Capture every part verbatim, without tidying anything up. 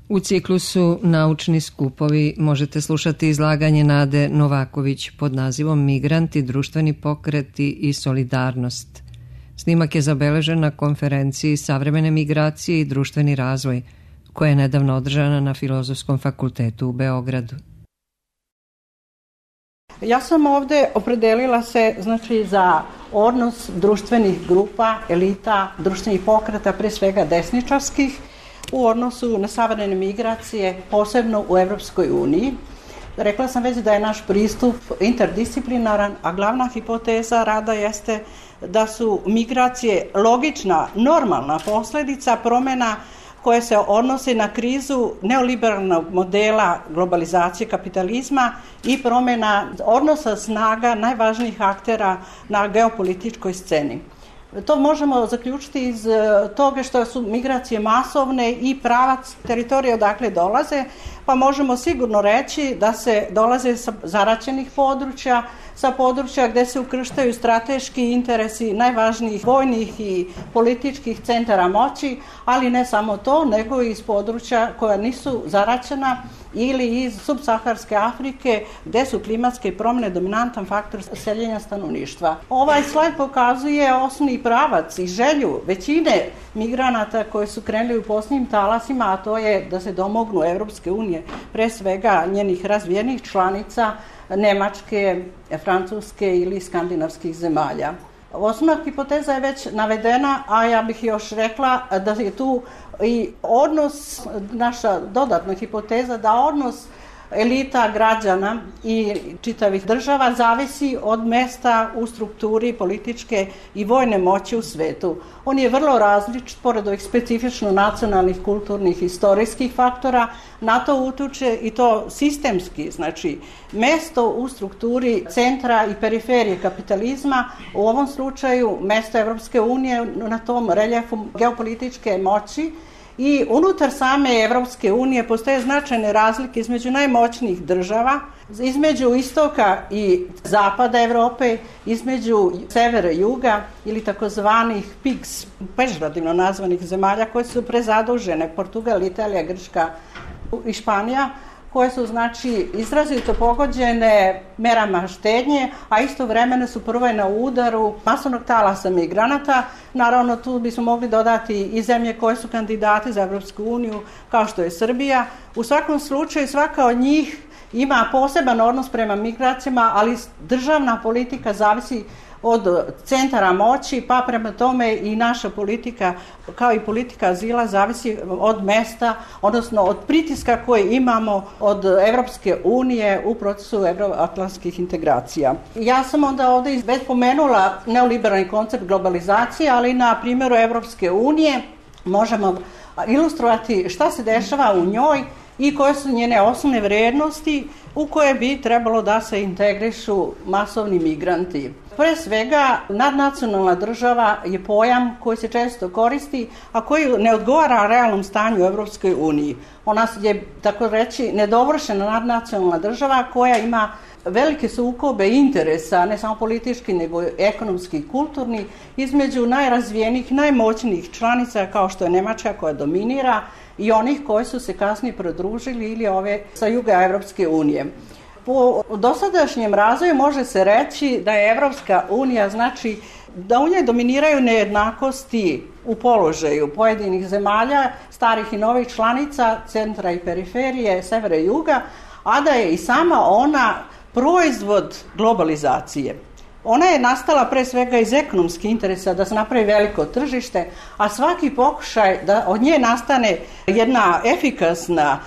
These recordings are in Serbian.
U ciklusu Naučni skupovi možete slušati izlaganje Nade Novaković pod nazivom Migranti, društveni pokreti i solidarnost. Snimak je zabeležen na konferenciji Savremene migracije i društveni razvoj, koja je nedavno održana na Filozofskom fakultetu u Beogradu. Ja sam ovde opredelila se znači za odnos društvenih grupa, elita, društvenih pokreta, pre svega desničarskih, u odnosu na savremene migracije, posebno u Evropskoj uniji. Rekla sam već da je naš pristup interdisciplinaran, a glavna hipoteza rada jeste da su migracije logična, normalna posledica promena koje se odnose na krizu neoliberalnog modela globalizacije kapitalizma i promena odnosa snaga najvažnijih aktera na geopolitičkoj sceni. To možemo zaključiti iz toga što su migracije masovne i pravac teritorije odakle dolaze, pa možemo sigurno reći da se dolaze sa zaraćenih područja, sa područja gde se ukrštaju strateški interesi najvažnijih vojnih i političkih centara moći, ali ne samo to, nego i iz područja koja nisu zaraćena ili iz subsaharske Afrike, gde su klimatske promjene dominantan faktor seljenja stanovništva. Ovaj slajd pokazuje osnovni pravac i želju većine migranata koji su krenuli u posljednjim talasima, a to je da se domognu Evropske unije, pre svega njenih razvijenih članica, Nemačke, Francuske ili skandinavskih zemalja. Osnovna hipoteza je već navedena, a ja bih još rekla da je tu i odnos, naša dodatna hipoteza, da odnos elita građana i čitavih država zavisi od mesta u strukturi političke i vojne moći u svetu. On je vrlo različit, pored ovih specifično nacionalnih, kulturnih, istorijskih faktora, na to utiče i to sistemski, znači mesto u strukturi centra i periferije kapitalizma, u ovom slučaju mesto Evropske unije na tom reljefu geopolitičke moći. I unutar same Evropske unije postoje značajne razlike između najmoćnijih država, između istoka i zapada Evrope, između severa i juga ili takozvanih pigs, pežorativno nazvanih zemalja koje su prezadužene, Portugal, Italija, Grčka i Španija, koje su znači izrazito pogođene merama štednje, a istovremeno su prve na udaru masovnog talasa migranata. Naravno, tu bismo mogli dodati i zemlje koje su kandidati za Evropsku uniju, kao što je Srbija. U svakom slučaju, svaka od njih ima poseban odnos prema migracijama, ali državna politika zavisi od centara moći, pa prema tome i naša politika, kao i politika azila, zavisi od mesta, odnosno od pritiska koje imamo od Evropske unije u procesu evroatlantskih integracija. Ja sam onda ovde već pomenula neoliberalni koncept globalizacije, ali na primjeru Evropske unije možemo ilustrovati šta se dešava u njoj i koje su njene osnovne vrednosti u koje bi trebalo da se integrišu masovni migranti. Pre svega, nadnacionalna država je pojam koji se često koristi, a koji ne odgovara realnom stanju u Evropskoj uniji. Ona je, tako reći, nedovršena nadnacionalna država koja ima velike sukobe interesa, ne samo politički, nego ekonomski i kulturni, između najrazvijenijih, najmoćnijih članica, kao što je Nemačka koja dominira, i onih koji su se kasnije pridružili ili ove sa juga Evropske unije. Po dosadašnjem razvoju može se reći da je Evropska unija, znači da u njoj dominiraju nejednakosti u položaju pojedinih zemalja, starih i novih članica, centra i periferije, severa i juga, a da je i sama ona proizvod globalizacije. Ona je nastala pre svega iz ekonomskih interesa da se napravi veliko tržište, a svaki pokušaj da od nje nastane jedna efikasna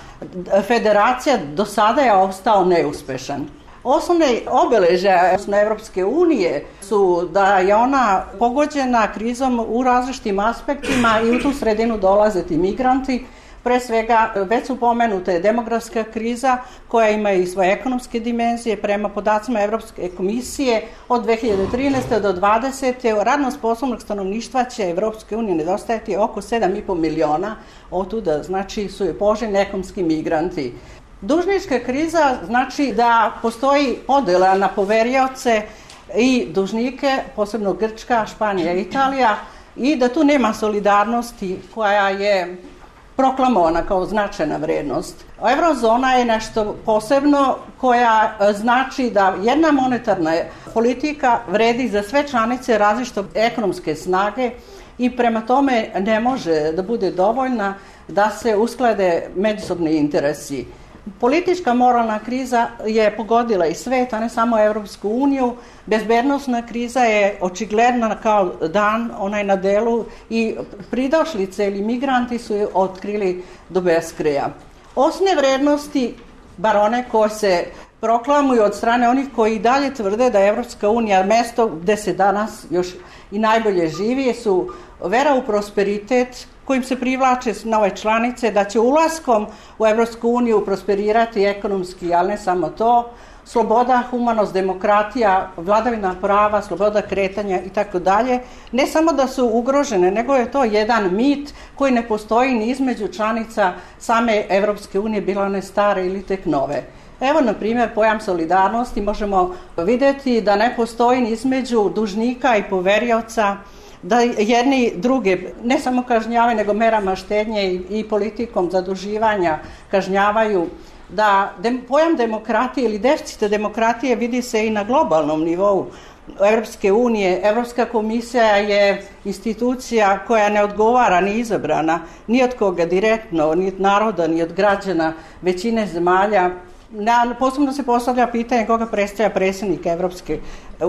federacija do sada je ostao neuspešan. Osnovne obeležja Evropske unije su da je ona pogođena krizom u različitim aspektima i u tu sredinu dolaze ti migranti. Pre svega, već su pomenute demografska kriza koja ima i svoje ekonomske dimenzije. Prema podacima Evropske komisije od dve hiljade trinaeste do dvadesete radno sposobnog stanovništva će Evropske unije nedostajati oko sedam i po miliona. Otuda znači su je poželjni ekonomski migranti. Dužnička kriza znači da postoji podela na poverioce i dužnike, posebno Grčka, Španija i Italija, i da tu nema solidarnosti koja je proklamovana kao značajna vrednost. Eurozona je nešto posebno koja znači da jedna monetarna politika vredi za sve članice različite ekonomske snage i prema tome ne može da bude dovoljna da se usklade međusobni interesi. Politička moralna kriza je pogodila i svet, a ne samo Evropsku uniju. Bezbednosna kriza je očigledna kao dan, ona je na delu i pridošlice ili migranti su je otkrili do beskraja. Osnovne vrednosti, bar one koje se proklamuju od strane onih koji dalje tvrde da je Evropska unija mesto gde se danas još i najbolje živi, su vera u prosperitet, kojim se privlače nove članice, da će ulaskom u Evropsku uniju prosperirati ekonomski, ali ne samo to, sloboda, humanost, demokratija, vladavina prava, sloboda kretanja i tako dalje, ne samo da su ugrožene, nego je to jedan mit koji ne postoji ni između članica same Evropske unije, bilo one stare ili tek nove. Evo, na primjer, pojam solidarnosti možemo vidjeti da ne postoji ni između dužnika i poverioca, da jedni druge ne samo kažnjavaju, nego merama štednje i, i politikom zaduživanja kažnjavaju, da dem, pojam demokratije ili deficita demokratije vidi se i na globalnom nivou Evropske unije. Evropska komisija je institucija koja ne odgovara ni izabrana ni od koga direktno, ni od naroda, ni od građana većine zemalja. Na, posebno se postavlja pitanje koga predstavlja predsjednik Evropske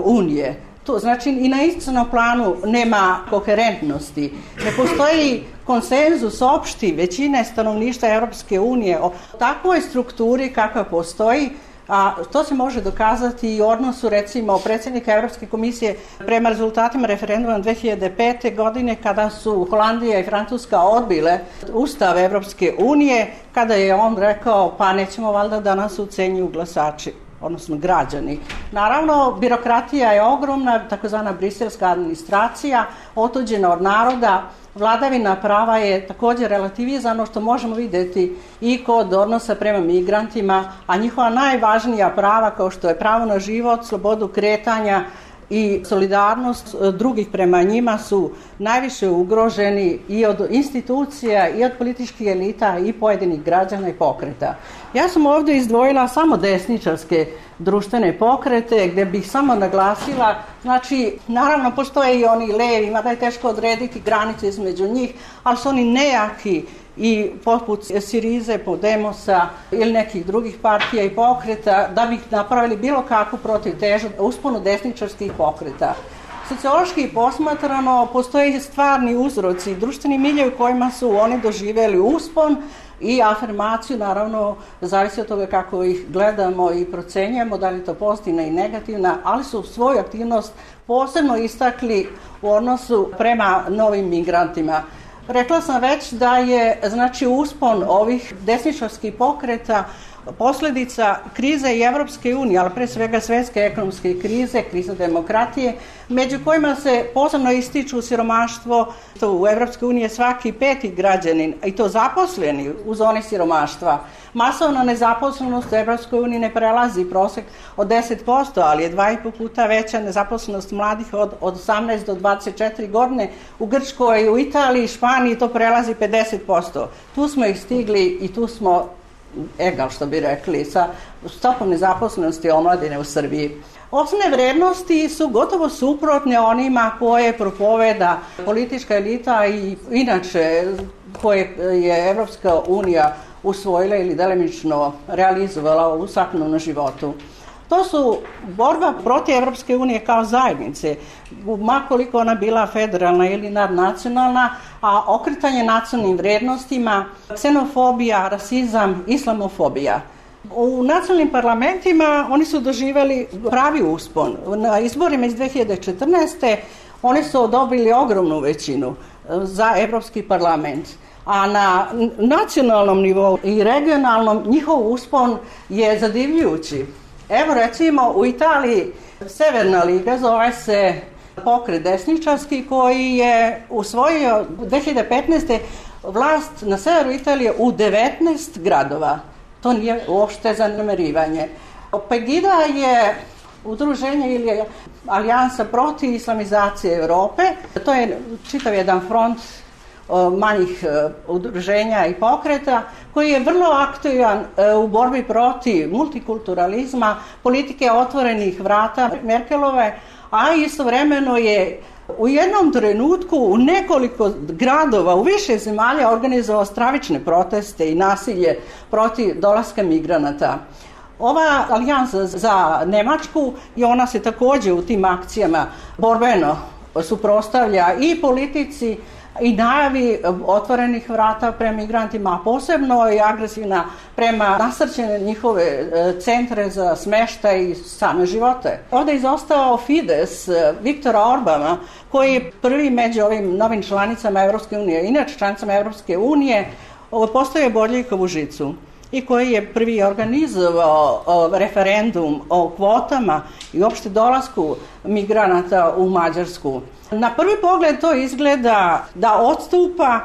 unije. To znači i na institucionalnom planu nema koherentnosti. Ne postoji konsenzus opšti većine stanovništva Evropske unije o takvoj strukturi kakva postoji, a to se može dokazati i u odnosu recimo predsjednika Evropske komisije prema rezultatima referenduma dve hiljade pete. godine kada su Holandija i Francuska odbile Ustav Evropske unije, kada je on rekao pa nećemo valjda da nas ucenjuju glasači, odnosno građani. Naravno, birokratija je ogromna, takozvana briselska administracija, otuđena od naroda, vladavina prava je također relativizano, što možemo vidjeti i kod odnosa prema migrantima, a njihova najvažnija prava, kao što je pravo na život, slobodu kretanja i solidarnost drugih prema njima, su najviše ugroženi i od institucija, i od političkih elita, i pojedinih građana i pokreta. Ja sam ovdje izdvojila samo desničarske društvene pokrete, gdje bih samo naglasila, znači, naravno postoje i oni levi, mada je teško odrediti granice između njih, ali su oni nejaki i poput Sirize, Podemosa ili nekih drugih partija i pokreta, da bi napravili bilo kakvu protivtežu usponu desničarskih pokreta. Sociološki posmatrano postoje stvarni uzroci, društveni miljevi u kojima su oni doživjeli uspon i afirmaciju, naravno, zavisi od toga kako ih gledamo i procenjujemo, da li je to pozitivna i negativna, ali su svoju aktivnost posebno istakli u odnosu prema novim migrantima. Rekla sam već da je, znači, uspon ovih desničarskih pokreta posljedica krize i Evropske unije, ali pre svega svjetske ekonomske krize, kriza demokratije, među kojima se posebno ističu siromaštvo. U Evropskoj uniji je svaki peti građanin, i to zaposleni u zoni siromaštva. Masovna nezaposlenost u Evropskoj uniji ne prelazi prosek od deset posto, ali je dva i po puta veća nezaposlenost mladih od, od osamnaest do dvadeset četiri godine. U Grčkoj, u Italiji i Španiji to prelazi pedeset posto. Tu smo ih stigli i tu smo egal, što bi rekli, sa stopom nezaposlenosti omladine u Srbiji. Osnovne vrednosti su gotovo suprotne onima koje propoveda politička elita i inače koje je Evropska unija usvojila ili delimično realizovala u svakodnevnom životu. To su borba protiv Evropske unije kao zajednice, makoliko ona bila federalna ili nadnacionalna, a okretanje nacionalnim vrednostima, ksenofobija, rasizam, islamofobija. U nacionalnim parlamentima oni su doživjeli pravi uspon. Na izborima iz dve hiljade četrnaeste. oni su dobili ogromnu većinu za Evropski parlament. A na nacionalnom nivou i regionalnom njihov uspon je zadivljujući. Evo recimo u Italiji Severna liga zove se pokret desničarski koji je usvojio dve hiljade petnaeste. vlast na severu Italije u devetnaest gradova. To nije uopšte zanemarivanje. Pegida je udruženje ili alijansa protiv islamizacije Europe. To je čitav jedan front manjih udruženja i pokreta, koji je vrlo aktivan u borbi protiv multikulturalizma, politike otvorenih vrata Merkelove, a istovremeno je u jednom trenutku u nekoliko gradova, u više zemalja organizovao stravične proteste i nasilje protiv dolaska migranata. Ova alijansa za Nemačku i ona se također u tim akcijama borbeno suprotstavlja i politici i najavi otvorenih vrata prema migrantima, a posebno je agresivna prema nasrćene njihove centre za smještaj i same živote. Ovdje je izostao Fides Viktora Orbana, koji je prvi među ovim novim članicama Evropske unije, inače članicama Evropske unije, postavio Bodljikovu žicu i koji je prvi organizovao referendum o kvotama i uopšte dolasku migranata u Mađarsku. Na prvi pogled to izgleda da odstupa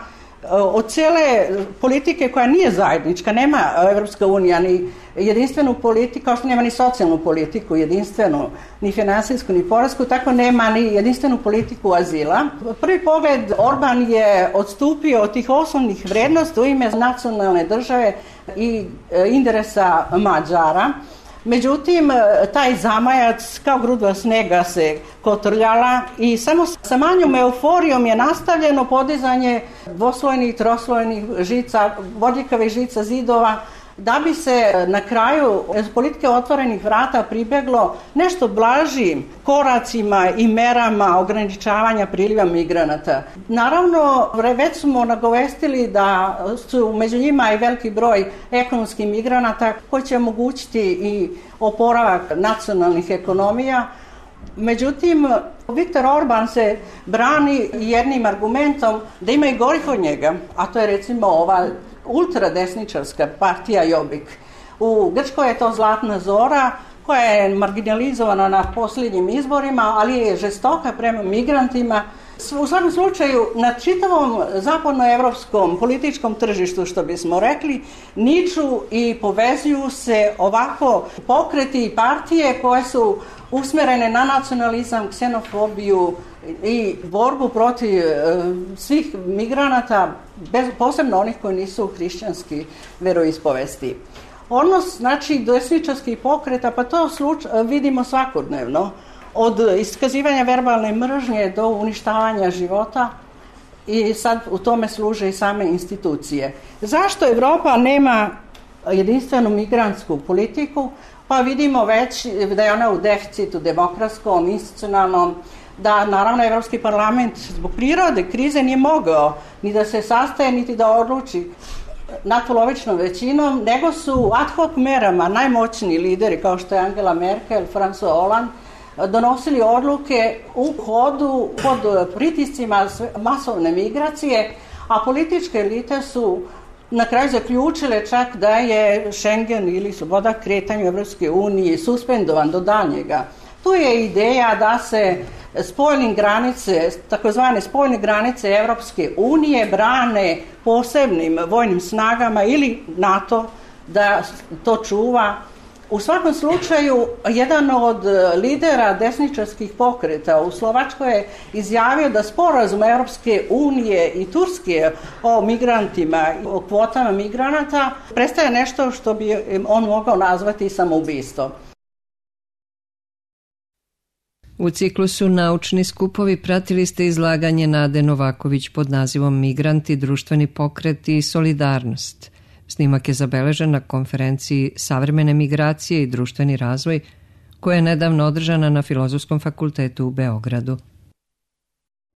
od cijele politike koja nije zajednička. Nema Evropska unija ni jedinstvenu politiku, kao što nema ni socijalnu politiku jedinstvenu, ni finansijsku, ni poresku, tako nema ni jedinstvenu politiku azila. Prvi pogled Orban je odstupio od tih osnovnih vrednosti u ime nacionalne države i interesa Mađara. Međutim, taj zamajac kao gruda snega se kotrljala i samo sa manjom euforijom je nastavljeno podizanje dvoslojnih, troslojnih žica, bodljikavih žica zidova, da bi se na kraju politike otvorenih vrata pribeglo nešto blažim koracima i merama ograničavanja priliva migranata. Naravno, već smo nagovestili da su među njima i veliki broj ekonomskih migranata koji će omogućiti i oporavak nacionalnih ekonomija. Međutim, Viktor Orban se brani jednim argumentom da ima i gorih od njega, a to je recimo ova ultradesničarska partija Jobbik. U Grčkoj je to Zlatna Zora, koja je marginalizovana na posljednjim izborima, ali je žestoka prema migrantima. U svakom slučaju, na čitavom zapadnoevropskom političkom tržištu, što bismo rekli, niču i povezuju se ovako pokreti i partije koje su usmjerene na nacionalizam, ksenofobiju i borbu protiv e, svih migranata, bez, posebno onih koji nisu hrišćanski veroispovesti. Odnos, znači, desničarskih pokreta, pa to sluč, vidimo svakodnevno, od iskazivanja verbalne mržnje do uništavanja života, i sad u tome služe i same institucije. Zašto Evropa nema jedinstvenu migrantsku politiku? Pa vidimo već da je ona u deficitu demokratskom, institucionalnom, da naravno Evropski parlament zbog prirode krize nije mogao ni da se sastaje, niti da odluči natpolovičnom većinom, nego su ad hoc merama najmoćniji lideri kao što je Angela Merkel, François Hollande donosili odluke u hodu pod pritiscima masovne migracije, a političke elite su na kraju zaključile čak da je Schengen ili sloboda kretanja u Evropske unije suspendovan do daljnjega. Tu je ideja da se spoljne granice, takozvane spoljne granice Evropske unije brane posebnim vojnim snagama ili NATO da to čuva. U svakom slučaju, jedan od lidera desničarskih pokreta u Slovačkoj je izjavio da sporazum Evropske unije i Turske o migrantima, o kvotama migranata, predstavlja nešto što bi on mogao nazvati samoubistvo. U ciklusu Naučni skupovi pratili ste izlaganje Nade Novaković pod nazivom Migranti, društveni pokreti i solidarnost. Snimak je zabeležen na konferenciji Savremene migracije i društveni razvoj, koja je nedavno održana na Filozofskom fakultetu u Beogradu.